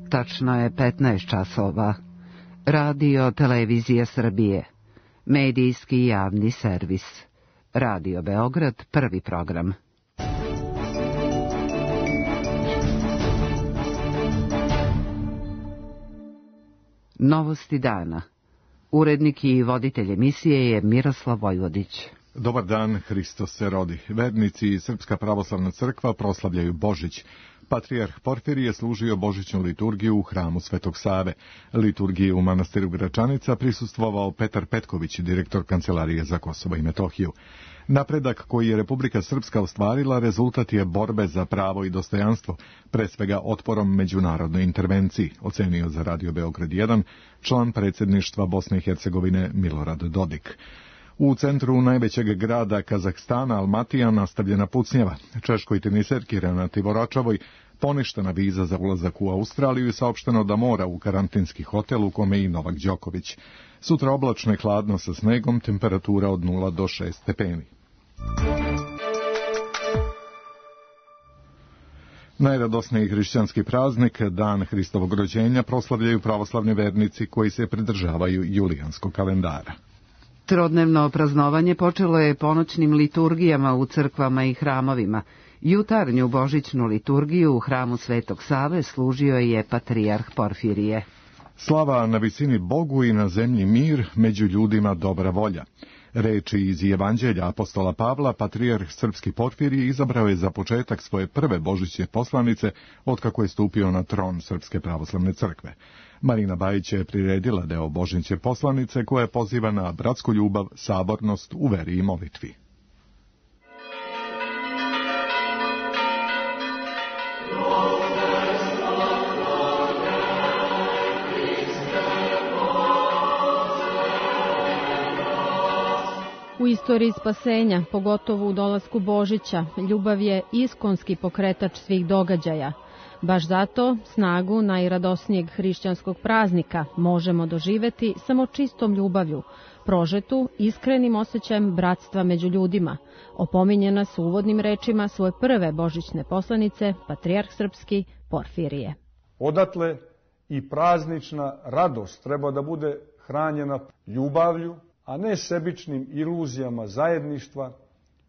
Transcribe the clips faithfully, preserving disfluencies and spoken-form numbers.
Tačno je petnaest časova. Radio Televizija Srbije. Medijski javni servis. Radio Beograd, prvi program. Novosti dana. Urednik i voditelj emisije je Miroslav Vojvodić. Dobar dan, Hristos se rodi. Vernici i Srpska pravoslavna crkva proslavljaju Božić. Patrijarh Porfirije služio božićnu liturgiju u hramu Svetog Save. Liturgiji u manastiru Gračanica prisustvovao Petar Petković, direktor Kancelarije za Kosovo i Metohiju. Napredak koji je Republika Srpska ostvarila rezultat je borbe za pravo i dostojanstvo, pre svega otporom međunarodnoj intervenciji, ocenio za Radio Beograd jedan član predsjedništva Bosne i Hercegovine Milorad Dodik. U centru najvećeg grada Kazahstana, Almatija, nastavljena pucnjava. Češkoj teniserki Renati Voračavoj poništena viza za ulazak u Australiju i saopšteno da mora u karantinski hotel u kome i Novak Đoković. Sutra oblačno i hladno sa snegom, temperatura od nula do šest stepeni. Najradosniji hrišćanski praznik, Dan Hristovog rođenja, proslavljaju pravoslavni vernici koji se pridržavaju julijanskog kalendara. Trodnevno praznovanje počelo je ponoćnim liturgijama u crkvama i hramovima. Jutarnju božićnu liturgiju u hramu Svetog Save služio je patrijarh Porfirije. Slava na visini Bogu i na zemlji mir, među ljudima dobra volja. Reči iz Evanđelja apostola Pavla, patrijarh srpski Porfirije izabrao je za početak svoje prve božićne poslanice otkako je stupio na tron Srpske pravoslavne crkve. Marina Bajić je priredila deo božićne poslanice koja poziva na bratsku ljubav, sabornost u veri i molitvi. U istoriji spasenja, pogotovo u dolasku Božića, ljubav je iskonski pokretač svih događaja. Baš zato snagu najradosnijeg hrišćanskog praznika možemo doživeti samo čistom ljubavlju, prožetu iskrenim osjećajem bratstva među ljudima, opominje nas uvodnim rečima svoje prve božićne poslanice, patrijarh srpski Porfirije. Odatle i praznična radost treba da bude hranjena ljubavlju, a ne sebičnim iluzijama zajedništva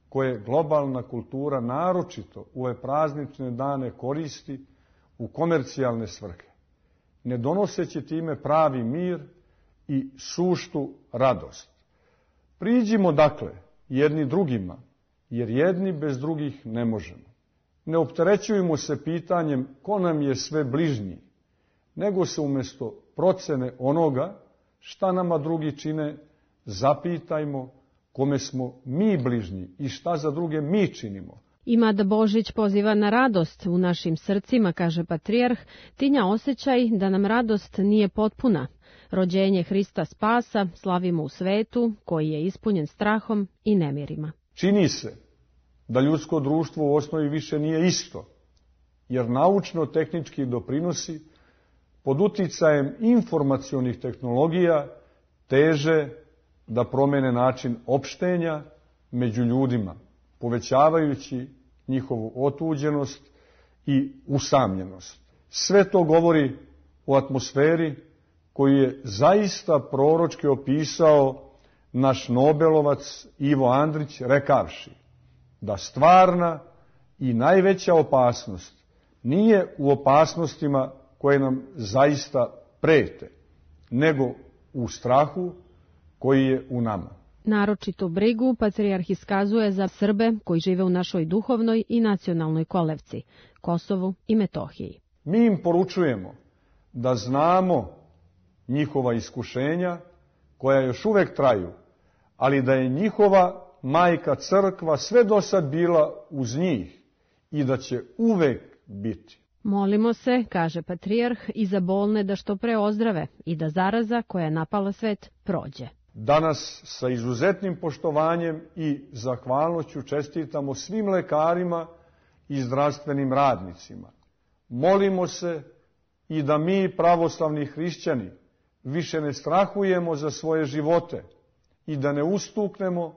koje globalna kultura naročito u ove praznične dane koristi u komercijalne svrhe, ne donoseći time pravi mir i suštu radost. Priđimo dakle jedni drugima, jer jedni bez drugih ne možemo. Ne opterećujemo se pitanjem ko nam je sve bližnji, nego se umjesto procene onoga šta nama drugi čine, zapitajmo kome smo mi bližnji i šta za druge mi činimo. Ima da Božić poziva na radost u našim srcima, kaže patrijarh, tinja osjećaj da nam radost nije potpuna. Rođenje Hrista Spasa slavimo u svetu koji je ispunjen strahom i nemirima. Čini se da ljudsko društvo u osnovi više nije isto, jer naučno-tehnički doprinosi pod uticajem informacionih tehnologija teže da promene način opštenja među ljudima, povećavajući njihovu otuđenost i usamljenost. Sve to govori o atmosferi koju je zaista proročki opisao naš Nobelovac Ivo Andrić rekavši da stvarna i najveća opasnost nije u opasnostima koje nam zaista prete, nego u strahu koji je u nama. Naročitu brigu patrijarh iskazuje za Srbe koji žive u našoj duhovnoj i nacionalnoj kolevci, Kosovu i Metohiji. Mi im poručujemo da znamo njihova iskušenja koja još uvek traju, ali da je njihova majka crkva sve do sad bila uz njih i da će uvek biti. Molimo se, kaže patrijarh, i za bolne da što pre ozdrave i da zaraza koja je napala svet prođe. Danas sa izuzetnim poštovanjem i zahvalnošću čestitamo svim lekarima i zdravstvenim radnicima. Molimo se i da mi, pravoslavni hrišćani, više ne strahujemo za svoje živote i da ne ustuknemo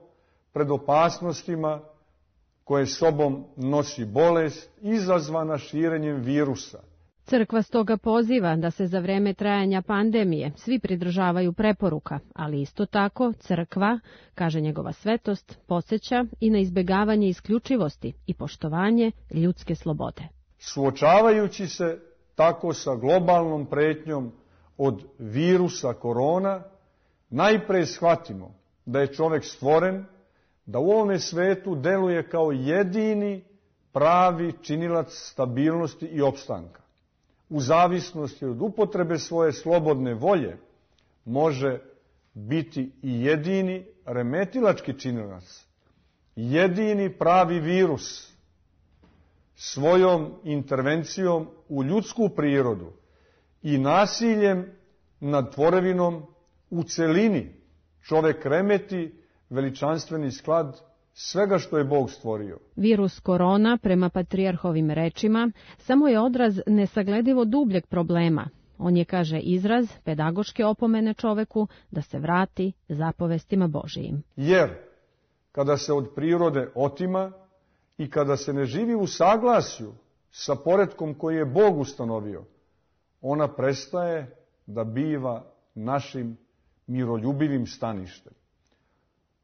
pred opasnostima koje sobom nosi bolest izazvana širenjem virusa. Crkva stoga poziva da se za vreme trajanja pandemije svi pridržavaju preporuka, ali isto tako crkva, kaže njegova svetost, podsjeća i na izbegavanje isključivosti i poštovanje ljudske slobode. Suočavajući se tako sa globalnom pretnjom od virusa korona, najpre shvatimo da je čovek stvoren, da u ovome svetu deluje kao jedini pravi činilac stabilnosti i opstanka. U zavisnosti od upotrebe svoje slobodne volje može biti i jedini remetilački činilac, jedini pravi virus svojom intervencijom u ljudsku prirodu i nasiljem nad tvorevinom u celini čovek remeti veličanstveni sklad svega što je Bog stvorio. Virus korona, prema patrijarhovim rečima, samo je odraz nesagledivo dubljeg problema. On je, kaže, izraz pedagoške opomene čoveku da se vrati zapovestima Božijim. Jer kada se od prirode otima i kada se ne živi u saglasju sa poretkom koji je Bog ustanovio, ona prestaje da biva našim miroljubivim staništem.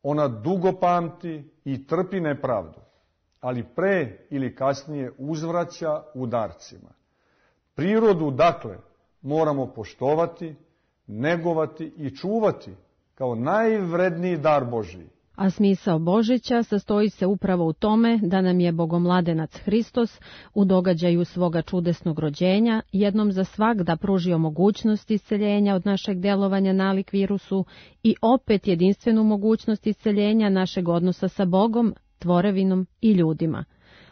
Ona dugo pamti i trpi nepravdu, ali pre ili kasnije uzvraća udarcima. Prirodu, dakle, moramo poštovati, negovati i čuvati kao najvredniji dar Božiji. A smisao Božića sastoji se upravo u tome da nam je Bogomladenac Hristos u događaju svoga čudesnog rođenja jednom za svagda pružio mogućnost isceljenja od našeg delovanja nalik virusu i opet jedinstvenu mogućnost isceljenja našeg odnosa sa Bogom, tvorevinom i ljudima.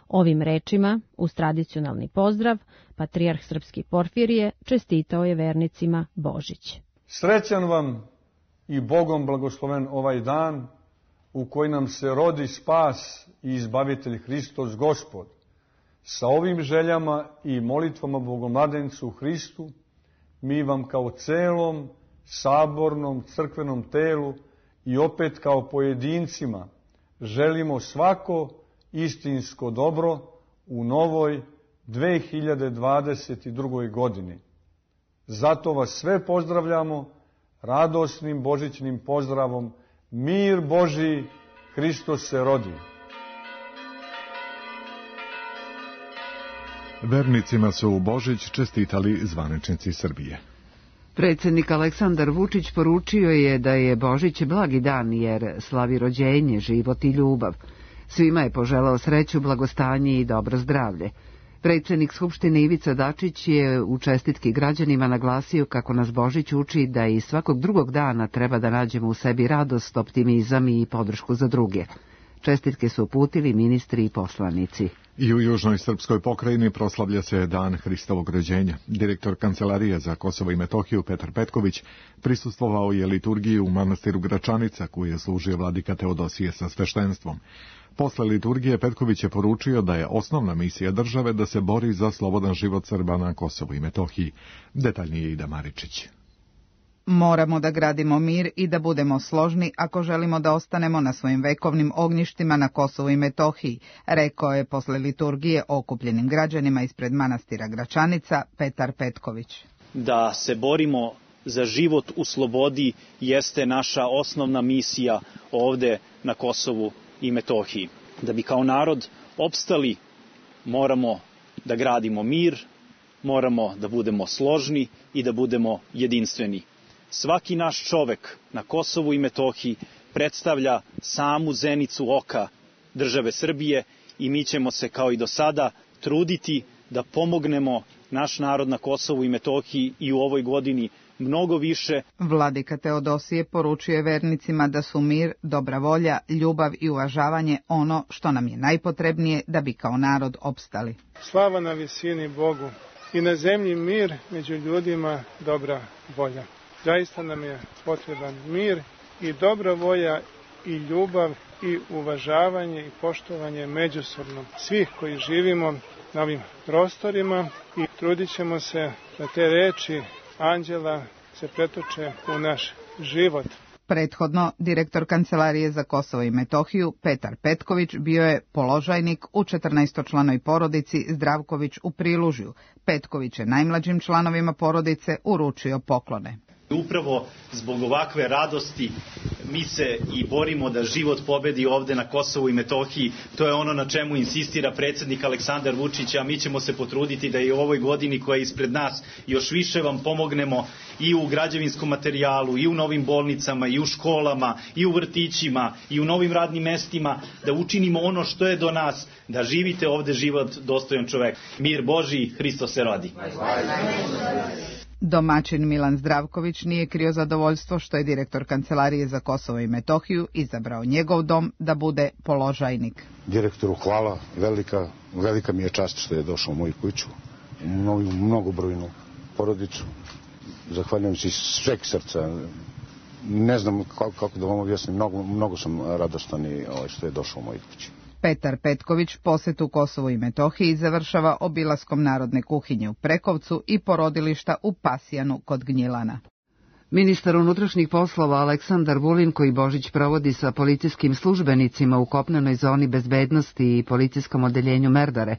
Ovim rečima, uz tradicionalni pozdrav, patrijarh srpski Porfirije čestitao je vernicima Božić. Srećan vam i Bogom blagosloven ovaj dan u koji nam se rodi spas i izbavitelj Hristos Gospod. Sa ovim željama i molitvama Bogomladencu Hristu, mi vam kao celom sabornom crkvenom telu i opet kao pojedincima želimo svako istinsko dobro u novoj dve hiljade dvadeset drugoj. godini. Zato vas sve pozdravljamo radosnim božićnim pozdravom: mir Božiji, Hristos se rodi. Vernicima su u Božić čestitali zvaničnici Srbije. Predsjednik Aleksandar Vučić poručio je da je Božić blagi dan jer slavi rođenje, život i ljubav. Svima je poželao sreću, blagostanje i dobro zdravlje. Predsjednik Skupštine Ivica Dačić je u čestitki građanima naglasio kako nas Božić uči da i svakog drugog dana treba da nađemo u sebi radost, optimizam i podršku za druge. Čestitke su uputili ministri i poslanici. I u južnoj srpskoj pokrajini proslavlja se dan Hristovog rođenja. Direktor Kancelarije za Kosovo i Metohiju Petar Petković prisustvovao je liturgiji u manastiru Gračanica, koju je služio vladika Teodosije sa sveštenstvom. Posle liturgije Petković je poručio da je osnovna misija države da se bori za slobodan život Srba na Kosovu i Metohiji. Detaljnije Ida Maričić. Moramo da gradimo mir i da budemo složni ako želimo da ostanemo na svojim vekovnim ognjištima na Kosovu i Metohiji, rekao je posle liturgije okupljenim građanima ispred manastira Gračanica Petar Petković. Da se borimo za život u slobodi jeste naša osnovna misija ovde na Kosovu i Metohiji. Da bi kao narod opstali, moramo da gradimo mir, moramo da budemo složni i da budemo jedinstveni. Svaki naš čovek na Kosovu i Metohiji predstavlja samu zenicu oka države Srbije i mi ćemo se kao i do sada truditi da pomognemo naš narod na Kosovu i Metohiji i u ovoj godini mnogo više. Vladika Teodosije poručuje vernicima da su mir, dobra volja, ljubav i uvažavanje ono što nam je najpotrebnije da bi kao narod opstali. Slava na visini Bogu i na zemlji mir, među ljudima dobra volja. Zaista nam je potreban mir i dobra volja i ljubav i uvažavanje i poštovanje međusobno svih koji živimo na ovim prostorima i trudit ćemo se da te reči anđela se pretoče u naš život. Prethodno, direktor Kancelarije za Kosovo i Metohiju Petar Petković bio je položajnik u četrnaestočlanoj porodici Zdravković u Prilužju. Petković je najmlađim članovima porodice uručio poklone. Upravo zbog ovakve radosti mi se i borimo da život pobedi ovde na Kosovu i Metohiji. To je ono na čemu insistira predsjednik Aleksandar Vučić, a mi ćemo se potruditi da i u ovoj godini koja je ispred nas još više vam pomognemo i u građevinskom materijalu, i u novim bolnicama, i u školama, i u vrtićima, i u novim radnim mestima, da učinimo ono što je do nas, da živite ovde život dostojan čoveka. Mir Božji, Hristos se rodi. Domaćin Milan Zdravković nije krio zadovoljstvo što je direktor Kancelarije za Kosovo i Metohiju izabrao njegov dom da bude položajnik. Direktoru hvala, velika, velika mi je čast što je došao u moju kuću, u moju mnogobrojnu porodicu. Zahvaljujem se iz sveg srca. Ne znam kako, kako da vam objasnim, mnogo, mnogo sam radostan i što je došao u moju kuću. Petar Petković posetu Kosovu i Metohiji završava obilaskom narodne kuhinje u Prekovcu i porodilišta u Pasijanu kod Gnjilana. Ministar unutrašnjih poslova Aleksandar Vulin, koji Božić provodi sa policijskim službenicima u kopnenoj zoni bezbednosti i policijskom odeljenju Merdare,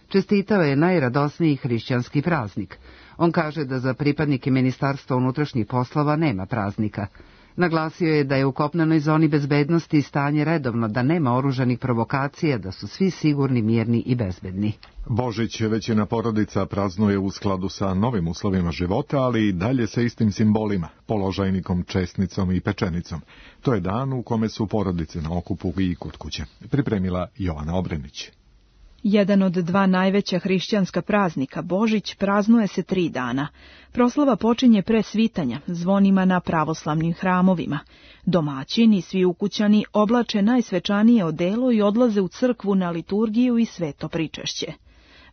čestitao je najradosniji hrišćanski praznik. On kaže da za pripadnike Ministarstva unutrašnjih poslova nema praznika. Naglasio je da je u kopnenoj zoni bezbednosti stanje redovno, da nema oružanih provokacija, da su svi sigurni, mirni i bezbedni. Božić većina porodica praznuje u skladu sa novim uslovima života, ali i dalje sa istim simbolima, položajnikom, česnicom i pečenicom. To je dan u kome su porodice na okupu i kod kuće. Pripremila Jovana Obrenić. Jedan od dva najveća hrišćanska praznika, Božić, praznuje se tri dana. Proslava počinje pre svitanja, zvonima na pravoslavnim hramovima. Domaćini i svi ukućani oblače najsvečanije odelo i odlaze u crkvu na liturgiju i sveto pričešće.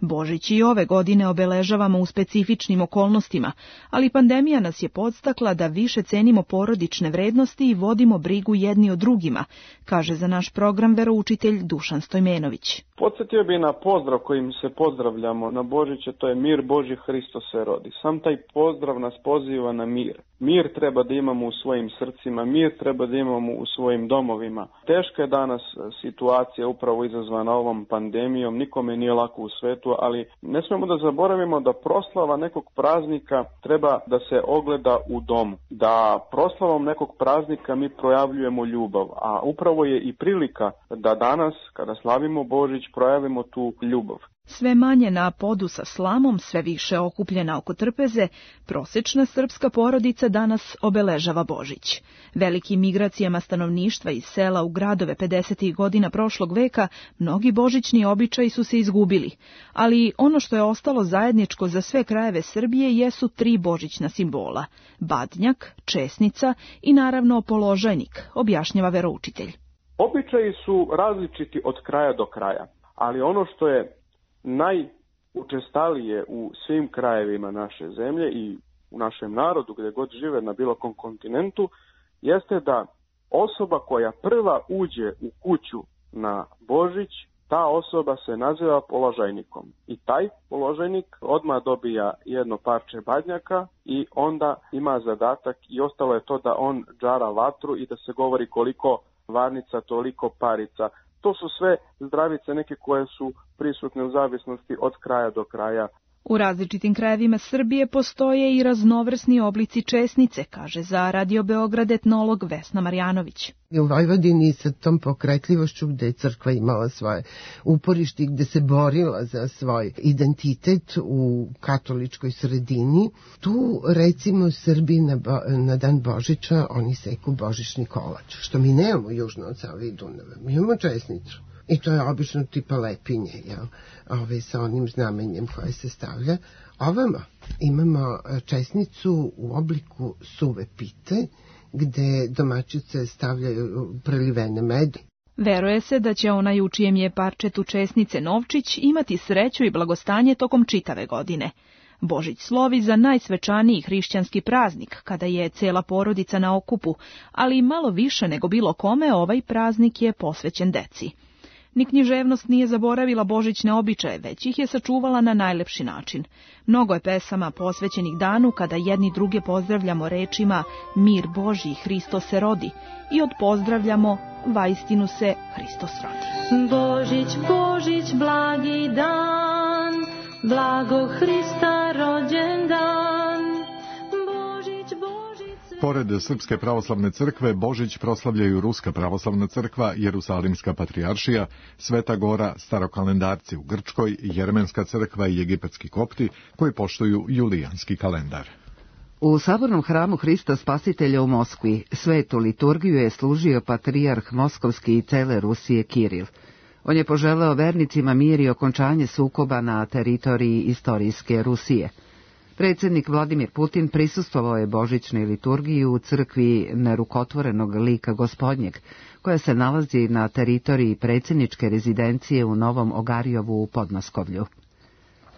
Božić i ove godine obeležavamo u specifičnim okolnostima, ali pandemija nas je podstakla da više cenimo porodične vrednosti i vodimo brigu jedni o drugima, kaže za naš program veroučitelj Dušan Stojmenović. Podsjetio bi na pozdrav kojim se pozdravljamo na Božiće, to je mir Božji, Hristos se rodi. Sam taj pozdrav nas poziva na mir. Mir treba da imamo u svojim srcima, mir treba da imamo u svojim domovima. Teška je danas situacija upravo izazvana ovom pandemijom, nikome nije lako u svetu, ali ne smemo da zaboravimo da proslava nekog praznika treba da se ogleda u domu. Da proslavom nekog praznika mi projavljujemo ljubav, a upravo je i prilika da danas, kada slavimo Božić, projavimo tu ljubav. Sve manje na podu sa slamom, sve više okupljena oko trpeze, prosečna srpska porodica danas obeležava Božić. Velikim migracijama stanovništva iz sela u gradove pedesetih godina prošlog veka, mnogi božićni običaji su se izgubili, ali ono što je ostalo zajedničko za sve krajeve Srbije jesu tri božićna simbola: badnjak, česnica i naravno položajnik, objašnjava veroučitelj. Običaji su različiti od kraja do kraja, ali ono što je najučestalije u svim krajevima naše zemlje i u našem narodu, gdje god žive na bilo kom kontinentu, jeste da osoba koja prva uđe u kuću na Božić, ta osoba se naziva položajnikom. I taj položajnik odmah dobija jedno parče badnjaka i onda ima zadatak, i ostalo je to da on džara vatru i da se govori koliko varnica, toliko parica. To su sve zdravice neke koje su prisutne u zavisnosti od kraja do kraja. U različitim krajevima Srbije postoje i raznovrsni oblici česnice, kaže za Radio Beograd etnolog Vesna Marjanović. U Vojvodini sa tom pokretljivošću gde je crkva imala svoje uporište, gde se borila za svoj identitet u katoličkoj sredini, tu recimo Srbi na, bo, na dan Božića oni seku božićni kolač, što mi nemamo južno od Save i Dunava. Mi imamo česnicu. I to je obično tipa lepinje, jel? Ove, sa onim znamenjem koje se stavlja. Ovamo imamo česnicu u obliku suve pite, gde domaćice stavljaju prelivene mede. Veruje se da će onaj u čijem je parčetu česnice novčić imati sreću i blagostanje tokom čitave godine. Božić slovi za najsvečaniji hrišćanski praznik, kada je cela porodica na okupu, ali malo više nego bilo kome ovaj praznik je posvećen deci. Ni književnost nije zaboravila božićne običaje, već ih je sačuvala na najlepši način. Mnogo je pesama posvećenih danu kada jedni druge pozdravljamo rečima mir Božji, Hristos se rodi i odpozdravljamo vaistinu se Hristos rodi. Božić, Božić, blagi dan, blago Hrista rođen dan. Božić, Božić... Pored Srpske pravoslavne crkve, Božić proslavljaju Ruska pravoslavna crkva, Jerusalimska patrijaršija, Sveta Gora, starokalendarci u Grčkoj, Jermenska crkva i egipatski kopti, koji poštuju julijanski kalendar. U sabornom hramu Hrista Spasitelja u Moskvi svetu liturgiju je služio patrijarh Moskovski i cele Rusije Kiril. On je poželeo vernicima mir i okončanje sukoba na teritoriji istorijske Rusije. Predsjednik Vladimir Putin prisustvovao je božićnoj liturgiji u crkvi nerukotvorenog lika Gospodnjeg, koja se nalazi na teritoriji predsjedničke rezidencije u Novom Ogarjovu u Podmaskovlju.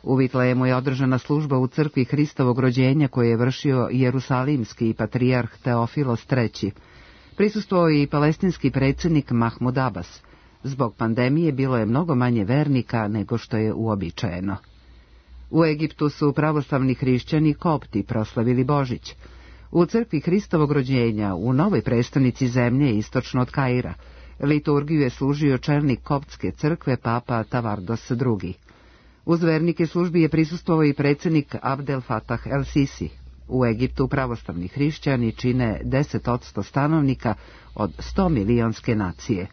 U Vitlejemu je održana služba u crkvi Hristovog rođenja koju je vršio jerusalimski patrijarh Teofilos treći. Prisustvovao je i palestinski predsjednik Mahmud Abbas. Zbog pandemije bilo je mnogo manje vernika nego što je uobičajeno. U Egiptu su pravoslavni hrišćani kopti proslavili Božić. U crkvi Hristovog rođenja, u novoj prestonici zemlje istočno od Kaira, liturgiju je služio čelnik koptske crkve papa Tavardos drugi. Uz vernike službi je prisustvovao i predsjednik Abdel Fattah el-Sisi. U Egiptu pravoslavni hrišćani čine deset posto stanovnika od sto milionske nacije.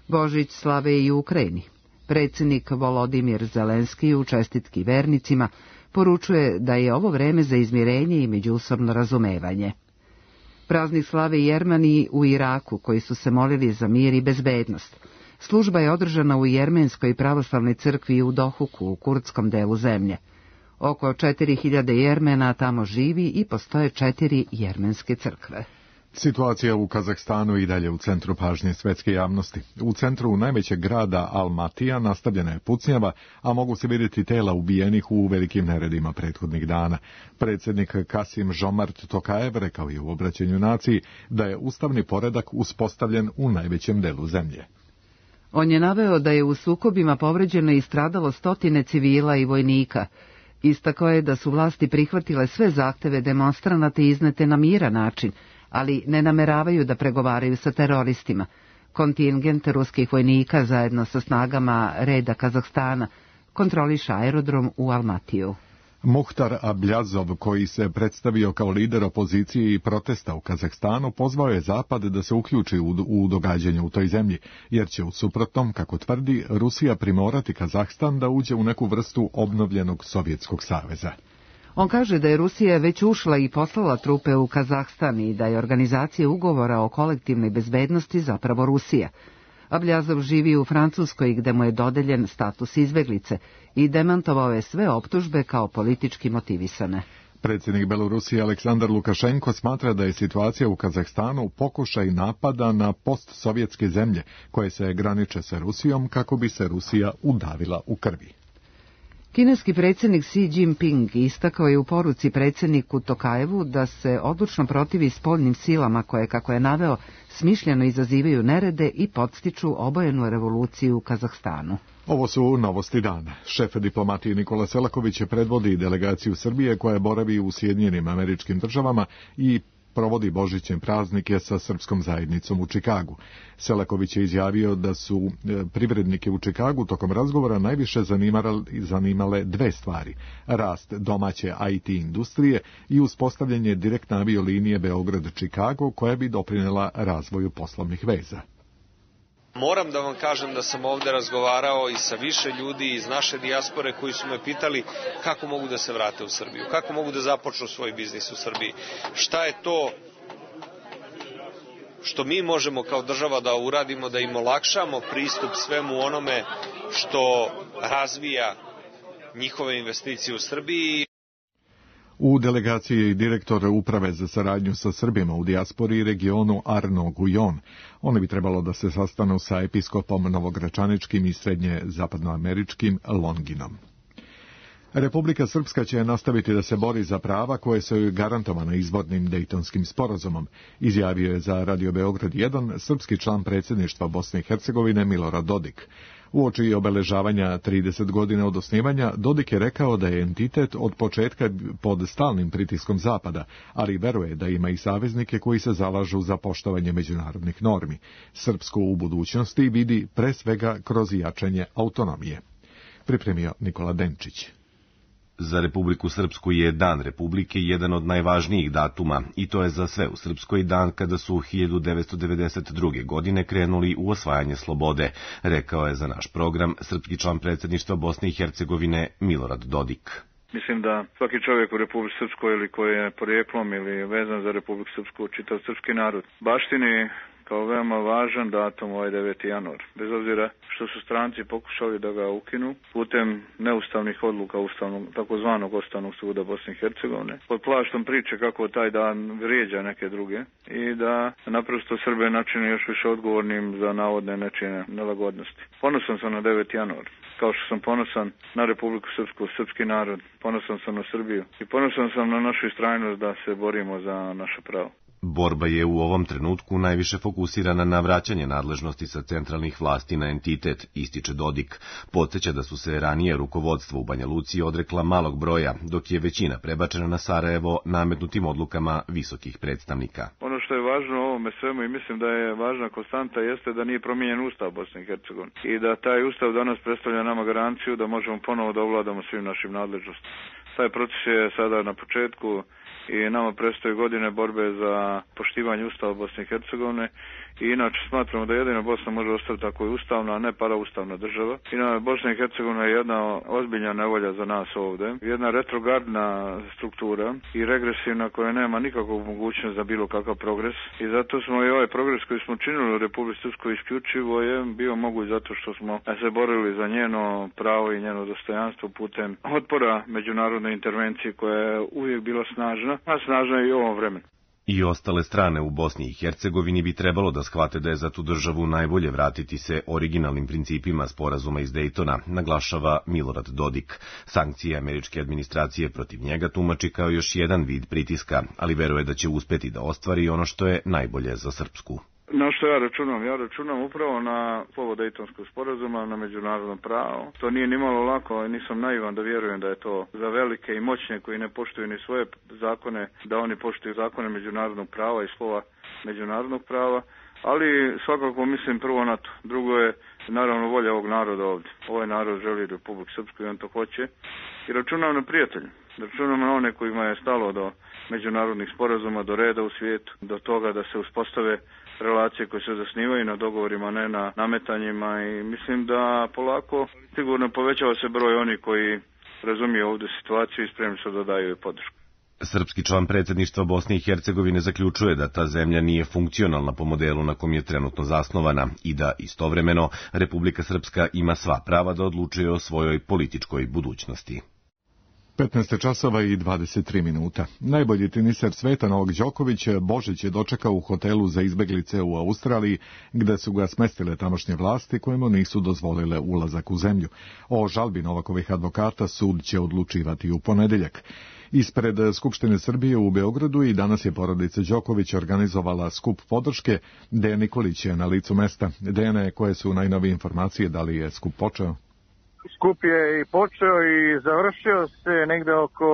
Božić slave i u Ukrajini. Predsjednik Volodimir Zelenski u čestitki vernicima poručuje da je ovo vreme za izmirenje i međusobno razumevanje. Praznik slave i Jermani u Iraku, koji su se molili za mir i bezbednost. Služba je održana u Jermenskoj pravoslavnoj crkvi u Dohuku, u kurdskom delu zemlje. Oko četiri hiljade Jermena tamo živi i postoje četiri jermenske crkve. Situacija u Kazahstanu i dalje u centru pažnje svetske javnosti. U centru najvećeg grada Almatija nastavljena je pucnjava, a mogu se vidjeti tela ubijenih u velikim neredima prethodnih dana. Predsjednik Kasim Žomart Tokajev rekao je u obraćanju naciji da je ustavni poredak uspostavljen u najvećem delu zemlje. On je naveo da je u sukobima povređeno i stradalo stotine civila i vojnika. Istakao je da su vlasti prihvatile sve zahteve demonstranata iznete na miran način, ali ne nameravaju da pregovaraju sa teroristima. Kontingent ruskih vojnika zajedno sa snagama reda Kazahstana kontroliše aerodrom u Almatiju. Muhtar Abljazov, koji se predstavio kao lider opozicije i protesta u Kazahstanu, pozvao je Zapad da se uključi u, u događanje u toj zemlji, jer će u suprotnom, kako tvrdi, Rusija primorati Kazahstan da uđe u neku vrstu obnovljenog Sovjetskog saveza. On kaže da je Rusija već ušla i poslala trupe u Kazahstan i da je organizacija ugovora o kolektivnoj bezbednosti zapravo Rusija. Abljazov živi u Francuskoj gde mu je dodeljen status izbeglice i demantovao je sve optužbe kao politički motivisane. Predsjednik Belorusije Aleksandar Lukašenko smatra da je situacija u Kazahstanu pokušaj napada na postsovjetske zemlje koje se graniče sa Rusijom kako bi se Rusija udavila u krvi. Kineski predsjednik Xi Jinping istakao je u poruci predsjedniku Tokajevu da se odlučno protivi spoljnim silama koje, kako je naveo, smišljeno izazivaju nerede i podstiču obojenu revoluciju u Kazahstanu. Ovo su novosti dana. Šef diplomatije Nikola Selaković predvodi delegaciju Srbije koja boravi u Sjedinjenim Američkim Državama i provodi božićne praznike sa srpskom zajednicom u Čikagu. Selaković je izjavio da su privrednike u Čikagu tokom razgovora najviše zanimale dve stvari: rast domaće I T industrije i uspostavljanje direktne aviolinije Beograd-Čikago koja bi doprinela razvoju poslovnih veza. Moram da vam kažem da sam ovde razgovarao i sa više ljudi iz naše dijaspore koji su me pitali kako mogu da se vrate u Srbiju, kako mogu da započnu svoj biznis u Srbiji, šta je to što mi možemo kao država da uradimo, da im olakšamo pristup svemu onome što razvija njihove investicije u Srbiji. U delegaciji je i direktor uprave za saradnju sa Srbima u dijaspori i regionu Arno Gujon. Oni bi trebalo da se sastanu sa episkopom novogračaničkim i srednje zapadnoameričkim Longinom. Republika Srpska će nastaviti da se bori za prava koje su joj garantovana izbornim Dejtonskim sporazumom, izjavio je za Radio Beograd jedan srpski član predsjedništva Bosne i Hercegovine Milorad Dodik. Uoči obeležavanja trideset godina od osnivanja, Dodik je rekao da je entitet od početka pod stalnim pritiskom Zapada, ali veruje da ima i saveznike koji se zalažu za poštovanje međunarodnih normi. Srpsku u budućnosti vidi pre svega kroz jačanje autonomije. Pripremio Nikola Denčić. Za Republiku Srpsku je Dan Republike jedan od najvažnijih datuma i to je za sve u Srpskoj dan kada su hiljadu devetsto devedeset druge. godine krenuli u osvajanje slobode, rekao je za naš program srpski član predsjedništva Bosne i Hercegovine Milorad Dodik. Mislim da svaki čovjek u Republici Srpskoj ili koji je porijeklom ili vezan za Republiku Srpsku, čitav srpski narod, baštini kao veoma važan datum ovaj deveti januar. Bez obzira što su stranci pokušali da ga ukinu putem neustavnih odluka ustavnog, takozvanog Ustavnog suda Bosne i Hercegovine, pod plaštom priče kako taj dan vrijeđa neke druge i da naprosto Srbe načine još više odgovornim za navodne nečine nelagodnosti. Ponosan sam na deveti januar. Kao što sam ponosan na Republiku Srpsku, srpski narod, ponosan sam na Srbiju i ponosan sam na našu istrajnost da se borimo za naše pravo. Borba je u ovom trenutku najviše fokusirana na vraćanje nadležnosti sa centralnih vlasti na entitet, ističe Dodik. Podsjeća da su se ranije rukovodstvo u Banja Luci odrekla malog broja, dok je većina prebačena na Sarajevo nametnutim odlukama visokih predstavnika. Ono što je važno u ovome svemu i mislim da je važna konstanta jeste da nije promijenjen Ustav Bosne i Hercegovine i da taj Ustav danas predstavlja nama garanciju da možemo ponovo da ovladamo svim našim nadležnostima. Taj proces je sada na početku i nama predstoje godine borbe za poštivanje Ustava Bosne i Hercegovine i inače smatramo da jedina Bosna može ostati tako i ustavna, a ne paraustavna država. Inače, Bosna i Hercegovina je jedna ozbiljna nevolja za nas ovdje, jedna retrogradna struktura i regresivna koja nema nikakvog mogućnost za bilo kakav progres i zato smo i ovaj progres koji smo činili u Republici Srpskoj isključivo je bio moguć zato što smo se borili za njeno pravo i njeno dostojanstvo putem otpora međunarodne intervencije koja je uvijek bila snažna, a snažna je i u ovom vremenu. I ostale strane u Bosni i Hercegovini bi trebalo da shvate da je za tu državu najbolje vratiti se originalnim principima sporazuma iz Dejtona, naglašava Milorad Dodik. Sankcije američke administracije protiv njega tumači kao još jedan vid pritiska, ali veruje da će uspeti da ostvari ono što je najbolje za Srpsku. Na što ja računam? Ja računam upravo na slovo Dejtonskog sporazuma, na međunarodno pravo. To nije nimalo lako i nisam naivan da vjerujem da je to za velike i moćne koji ne poštuju ni svoje zakone, da oni poštuju zakone međunarodnog prava i slova međunarodnog prava. Ali svakako mislim prvo na to. Drugo je naravno volja ovog naroda ovdje. Ovaj narod želi Republiku Srpsku i on to hoće. I računam na prijatelje. Računam na one kojima je stalo do međunarodnih sporazuma, do reda u svijetu, do toga da se uspostave relacije koje se zasnivaju na dogovorima, ne na nametanjima i mislim da polako sigurno povećava se broj onih koji razumiju ovdje situaciju i spremni su da daju podršku. Srpski član predsjedništva Bosne i Hercegovine zaključuje da ta zemlja nije funkcionalna po modelu na kom je trenutno zasnovana i da istovremeno Republika Srpska ima sva prava da odlučuje o svojoj političkoj budućnosti. petnaest časova i dvadeset tri minuta. Najbolji teniser sveta Novak Đoković Božić je dočekao u hotelu za izbeglice u Australiji, gde su ga smestile tamošnje vlasti koje mu nisu dozvolile ulazak u zemlju. O žalbi Novakovih advokata sud će odlučivati u ponedeljak. Ispred Skupštine Srbije u Beogradu i danas je porodica Đoković organizovala skup podrške. Dejan Nikolić je na licu mesta. Dejane, koje su najnovije informacije, da li je skup počeo? Skup je i počeo i završio se negde oko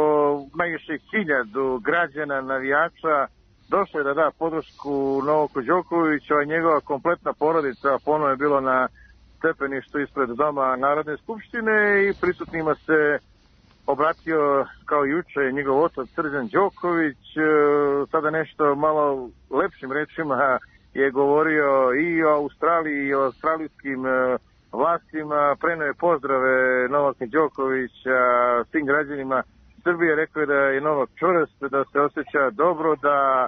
najviše hiljadu građana, navijača. Došlo je da da podršku Novaku Đokoviću, a njegova kompletna porodica ponovno je bilo na stepeništu ispred Doma Narodne skupštine i prisutnima se obratio kao juče njegov otac Srđan Đoković. Sada nešto malo lepšim rečima je govorio i o Australiji i o australijskim vlastima, preneo je pozdrave Novaka Đokovića svim građanima Srbije, rekao je da je Novak čvrst, da se osjeća dobro, da e,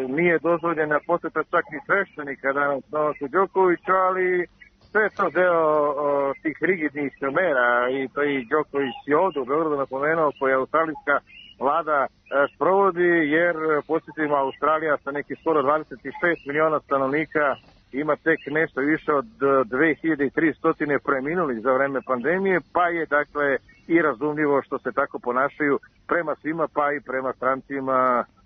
nije dozvoljena posjeta čak ni sveštenika danas Novaku Đokoviću, ali sve je to deo o, tih rigidnih mera i to i Đoković je ovdje u Beogradu napomenuo koje australijska vlada e, sprovodi, jer posjetimo Australija sa nekih skoro dvadeset šest miliona stanovnika ima tek nešto više od dve hiljade tristo preminulih za vreme pandemije, pa je dakle i razumljivo što se tako ponašaju prema svima, pa i prema strancima,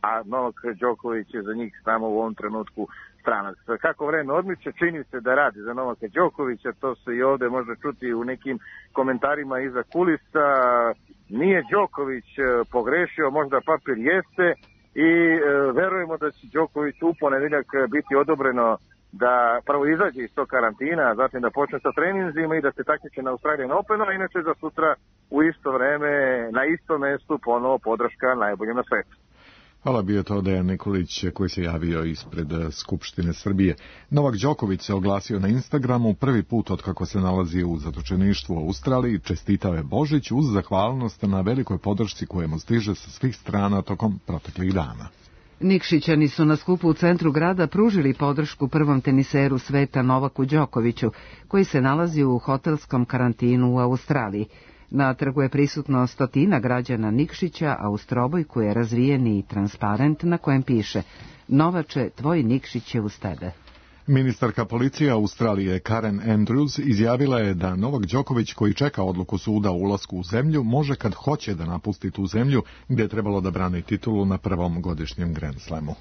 a Novak Đoković je za njih samo u ovom trenutku stranac. Kako vreme odmiče, čini se da radi za Novaka Đokovića, to se i ovde može čuti u nekim komentarima iza kulisa. Nije Đoković pogrešio, možda papir jeste, i e, verujemo da će Đoković u ponedeljak biti odobreno da prvo izađe iz tog karantina, zatim da počne sa treninzima i da se takmiči na Australian Openu, a inače za sutra u isto vreme, na istom mestu, ponovo podrška najboljem na svetu. Hvala, bio to Dejan Nikolić koji se javio ispred Skupštine Srbije. Novak Đoković se oglasio na Instagramu prvi put od kako se nalazi u zatočeništvu u Australiji, čestitao je Božić uz zahvalnost na velikoj podršci koja mu stiže sa svih strana tokom proteklih dana. Nikšićani su na skupu u centru grada pružili podršku prvom teniseru sveta Novaku Đokoviću, koji se nalazi u hotelskom karantinu u Australiji. Na trgu je prisutno stotina građana Nikšića, a u strobojku je razvijeni transparent na kojem piše "Novače, tvoj Nikšić je uz tebe". Ministarka policije Australije Karen Andrews izjavila je da Novak Đoković, koji čeka odluku suda o ulasku u zemlju, može kad hoće da napusti tu zemlju gdje je trebalo da brani titulu na prvom godišnjem Grand Slamu.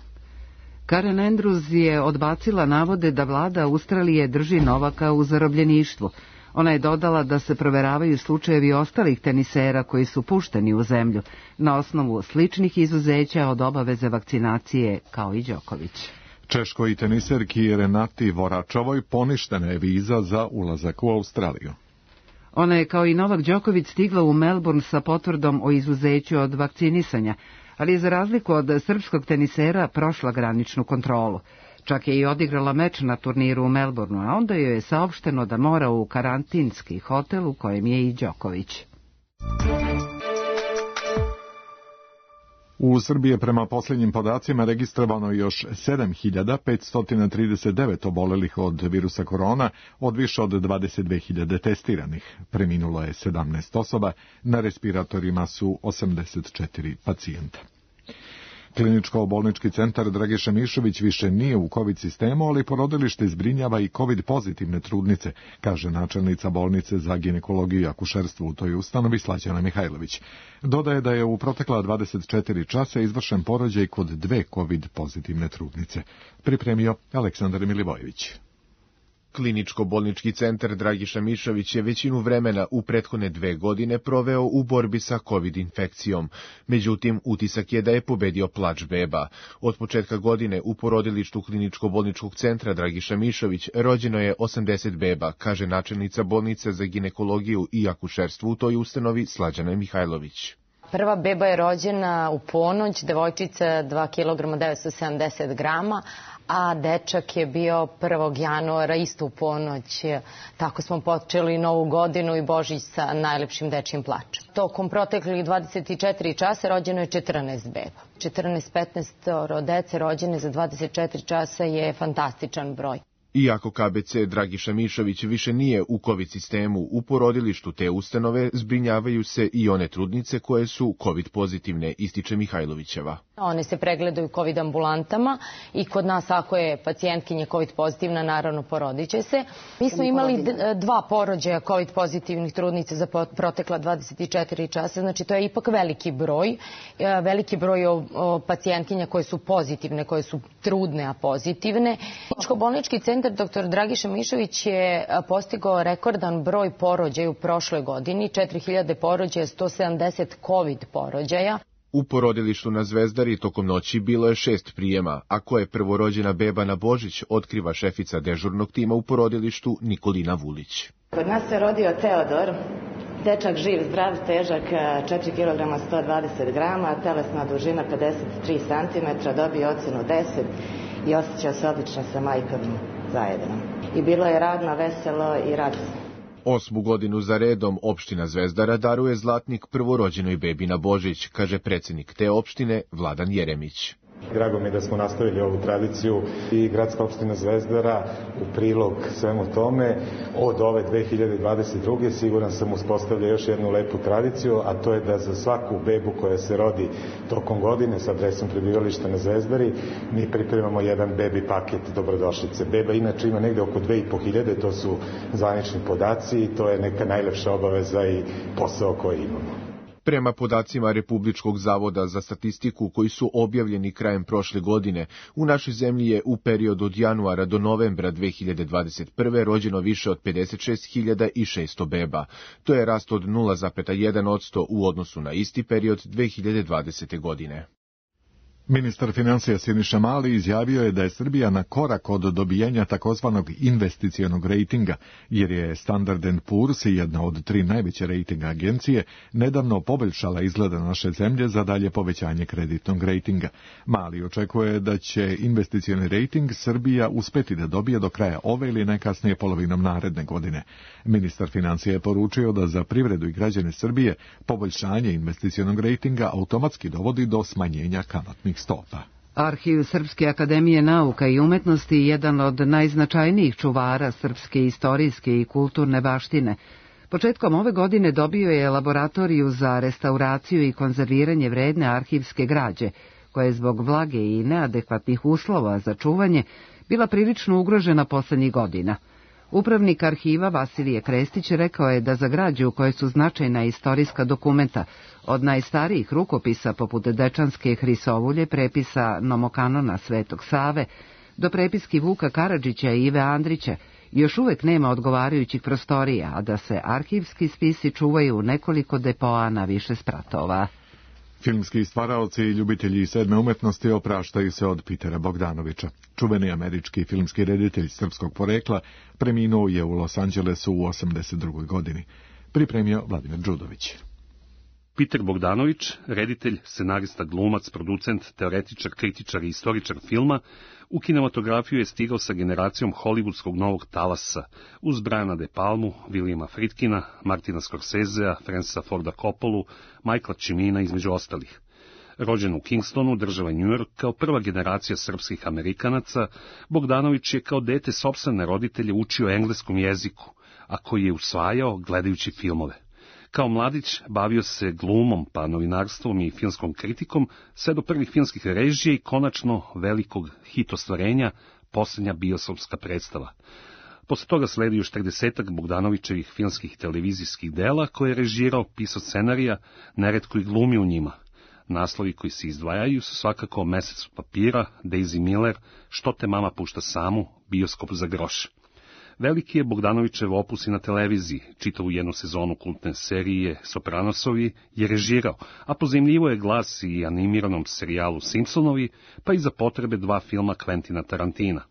Karen Andrews je odbacila navode da vlada Australije drži Novaka u zarobljeništvu. Ona je dodala da se proveravaju slučajevi ostalih tenisera koji su pušteni u zemlju na osnovu sličnih izuzeća od obaveze vakcinacije kao i Đoković. Češkoj teniserki Renati Voračovoj poništena je viza za ulazak u Australiju. Ona je kao i Novak Đoković stigla u Melbourne sa potvrdom o izuzeću od vakcinisanja, ali je za razliku od srpskog tenisera prošla graničnu kontrolu. Čak je i odigrala meč na turniru u Melbourneu, a onda joj je saopšteno da mora u karantinski hotel u kojem je i Đoković. U Srbiji je prema posljednjim podacima registrovano još sedam hiljada petsto trideset devet obolelih od virusa korona, od više od dvadeset dve hiljade testiranih. Preminulo je sedamnaest osoba, na respiratorima su osamdeset četiri pacijenta. Kliničko-bolnički centar Dragiša Mišović više nije u COVID sistemu, ali porodilište zbrinjava i COVID pozitivne trudnice, kaže načelnica bolnice za ginekologiju i akušerstvo u toj ustanovi Slađana Mihajlović. Dodaje da je u protekla dvadeset četiri časa izvršen porođaj kod dve COVID pozitivne trudnice. Pripremio Aleksandar Milivojević. Kliničko-bolnički centar Dragiša Mišović je većinu vremena u prethodne dve godine proveo u borbi sa COVID infekcijom. Međutim, utisak je da je pobedio plač beba. Od početka godine u porodilištu Kliničko-bolničkog centra Dragiša Mišović rođeno je osamdeset beba, kaže načelnica bolnice za ginekologiju i akušerstvo u toj ustanovi Slađana Mihajlović. Prva beba je rođena u ponoć, devojčica dva kilograma devetsto sedamdeset grama, a dečak je bio prvog januara isto u ponoć. Tako smo počeli novu godinu i Božić sa najlepšim dečjim plačem. Tokom proteklih dvadeset četiri časa rođeno je četrnaest beba. četrnaest petnaest dece rođene za dvadeset četiri časa je fantastičan broj. Iako K B C Dragiša Mišović više nije u COVID sistemu, u porodilištu te ustanove zbrinjavaju se i one trudnice koje su COVID pozitivne, ističe Mihajlovićeva. One se pregledaju COVID ambulantama i kod nas ako je pacijentkinja COVID pozitivna, naravno porodit će se. Mi smo imali dva porođaja COVID pozitivnih trudnica za protekla dvadeset četiri časa, znači to je ipak veliki broj. Veliki broj pacijentkinja koje su pozitivne, koje su trudne, a pozitivne. Kliničko-bolnički centar doktor Dragiša Mišović je postigao rekordan broj porođaja u prošloj godini, četiri hiljade porođaja, sto sedamdeset COVID porođaja. U porodilištu na Zvezdari tokom noći bilo je šest prijema, a ko je prvorođena beba na Božić, otkriva šefica dežurnog tima u porodilištu Nikolina Vulić. Kod nas se rodio Teodor, dečak živ, zdrav, težak četiri kilograma sto dvadeset grama, telesna dužina pedeset tri centimetra, dobio ocenu deset i osjećao se odlično sa majkom zajedno. I bilo je radno, veselo i radosno. Osmu godinu za redom opština Zvezdara daruje zlatnik prvorođenoj bebi na Božić, kaže predsjednik te opštine Vladan Jeremić. Drago mi je da smo nastavili ovu tradiciju i gradska opština Zvezdara u prilog svemu tome od ove dve hiljade dvadeset druge siguran sam uspostavlja još jednu lepu tradiciju, a to je da za svaku bebu koja se rodi tokom godine sa adresom prebivališta na Zvezdari mi pripremamo jedan bebi paket dobrodošlice. Beba inače ima negde oko dve i po hiljade, to su zvanični podaci i to je neka najlepša obaveza i posao koji imamo. Prema podacima Republičkog zavoda za statistiku koji su objavljeni krajem prošle godine, u našoj zemlji je u periodu od januara do novembra dve hiljade dvadeset prve rođeno više od pedeset šest hiljada šesto beba. To je rast od nula zarez jedan posto u odnosu na isti period dve hiljade dvadesete. godine. Ministar financija Siniša Mali izjavio je da je Srbija na korak od dobijenja takozvanog investicionog rejtinga, jer je Standard and Poor's, jedna od tri najveće rejting agencije, nedavno poboljšala izgleda naše zemlje za dalje povećanje kreditnog rejtinga. Mali očekuje da će investicioni rejting Srbija uspeti da dobije do kraja ove ili najkasnije polovinom naredne godine. Ministar financija je poručio da za privredu i građane Srbije poboljšanje investicionog rejtinga automatski dovodi do smanjenja kamatnih stopa. Arhiv Srpske akademije nauka i umetnosti je jedan od najznačajnijih čuvara srpske istorijske i kulturne baštine. Početkom ove godine dobio je laboratoriju za restauraciju i konzerviranje vredne arhivske građe, koja je zbog vlage i neadekvatnih uslova za čuvanje bila prilično ugrožena poslednjih godina. Upravnik arhiva Vasilije Krestić rekao je da za građu u kojoj su značajna istorijska dokumenta, od najstarijih rukopisa poput Dečanske Hrisovulje, prepisa Nomokanona Svetog Save, do prepiski Vuka Karadžića i Ive Andrića, još uvek nema odgovarajućih prostorija, a da se arhivski spisi čuvaju u nekoliko depoa na više spratova. Filmski stvaraoci i ljubitelji sedme umetnosti opraštaju se od Pitera Bogdanovića. Čuveni američki filmski reditelj srpskog porekla preminuo je u Los Angelesu u osamdeset drugoj. godini. Pripremio Vladimir Đudović. Peter Bogdanović, reditelj, scenarista, glumac, producent, teoretičar, kritičar i istoričar filma, u kinematografiju je stigao sa generacijom hollywoodskog novog talasa, uz Briana De Palmu, Williama Friedkina, Martina Scorsesea, Francisa Forda Coppolu, Michaela Cimina, između ostalih. Rođen u Kingstonu, država New York, kao prva generacija srpskih Amerikanaca, Bogdanović je kao dete sopstvene roditelje učio engleskom jeziku, a koji je usvajao gledajući filmove. Kao mladić bavio se glumom, pa novinarstvom i filmskom kritikom, sve do prvih filmskih režija i konačno velikog hit ostvarenja, posljednja biosopska predstava. Posle toga sledi još tridesetak Bogdanovićevih filmskih i televizijskih dela koje je režirao, pisao scenarija, neretko i glumi u njima. Naslovi koji se izdvajaju su svakako Mesec od papira, Daisy Miller, Što te mama pušta samu, Bioskop za groš. Veliki je Bogdanovićev opus i na televiziji, čitavu jednu sezonu kultne serije Sopranosovi je režirao, a pozajmljivo je glas i animiranom serijalu Simpsonovi, pa i za potrebe dva filma Quentina Tarantina.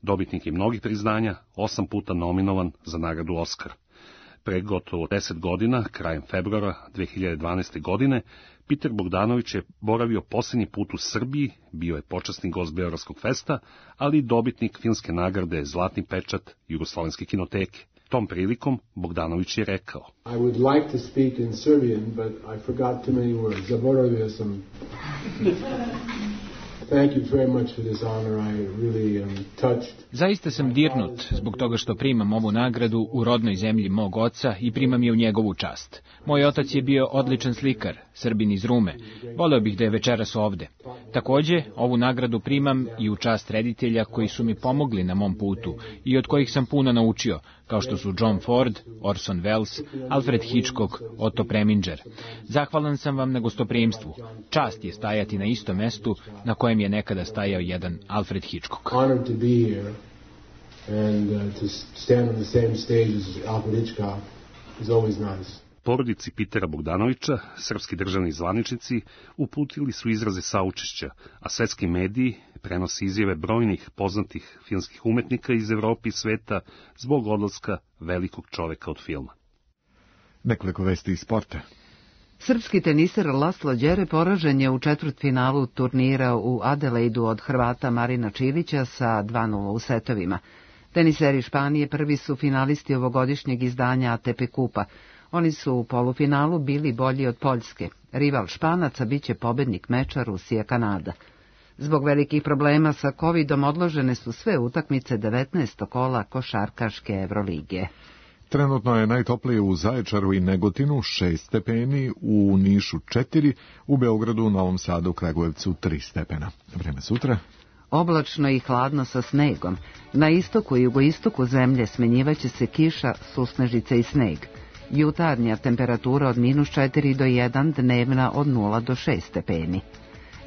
Dobitnik je mnogih priznanja, osam puta nominovan za nagradu Oskar. Pre gotovo deset godina, krajem februara dve hiljade dvanaeste. godine, Peter Bogdanović je boravio posljednji put u Srbiji, bio je počasni gost Beogradskog festa, ali i dobitnik filmske nagrade Zlatni pečat Jugoslovenske kinoteke. Tom prilikom Bogdanović je rekao: I would like to speak in Serbian, but I forgot too many words. Zaboravio sam. Thank you very much for this honor. I really am touched. Zaista sam dirnut zbog toga što primam ovu nagradu u rodnoj zemlji mog oca i primam je u njegovu čast. Moj otac je bio odličan slikar, Srbin iz Rume. Voleo bih da je večeras ovde. Takođe, ovu nagradu primam i u čast reditelja koji su mi pomogli na mom putu i od kojih sam puno naučio, kao što su John Ford, Orson Welles, Alfred Hitchcock, Otto Preminger. Zahvalan sam vam na gostoprimstvu. Čast je stajati na istom mestu na kojem je nekada stajao jedan Alfred Hitchcock. Honored to be here and uh, to stand on the same stage as Alfred Hitchcock is always nice. Porodici Pitera Bogdanovića, srpski državni zvaničnici, uputili su izraze saučešća, a svetski mediji prenosi izjave brojnih poznatih filmskih umetnika iz Evrope i sveta zbog odlaska velikog čoveka od filma. Nekoliko vesti iz sporta. Srpski teniser Laslo Đere poražen je u četvrtfinalu turnira u Adelaidu od Hrvata Marina Čilića sa dva nula u setovima. Teniseri Španije prvi su finalisti ovogodišnjeg izdanja A T P kupa. Oni su u polufinalu bili bolji od Poljske. Rival Španaca biće pobednik meča Rusija-Kanada. Zbog velikih problema sa kovidom odložene su sve utakmice devetnaestog kola košarkaške Evrolige. Trenutno je najtoplije u Zaječaru i Negotinu šest stepeni, u Nišu četiri, u Beogradu, Novom Sadu, Kragujevcu tri stepena. Vreme sutra? Oblačno i hladno sa snegom. Na istoku i jugoistoku zemlje smenjivaće se kiša, susnežice i sneg. Jutarnja temperatura od minus četiri do jedan, dnevna od nula do šest stepeni.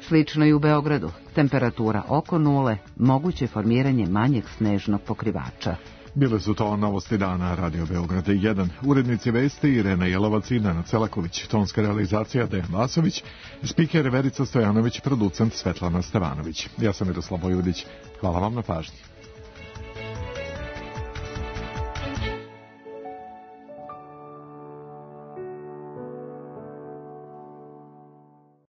Slično i u Beogradu, temperatura oko nule, moguće formiranje manjeg snežnog pokrivača. Bile su to novosti dana Radio Beograda jedan. Urednici vesti Irena Jelovac i Nana Celaković, tonska realizacija Dejan Vasović, spiker Verica Stojanović, producent Svetlana Stevanović. Ja sam Miroslav Bojudić. Hvala vam na pažnji.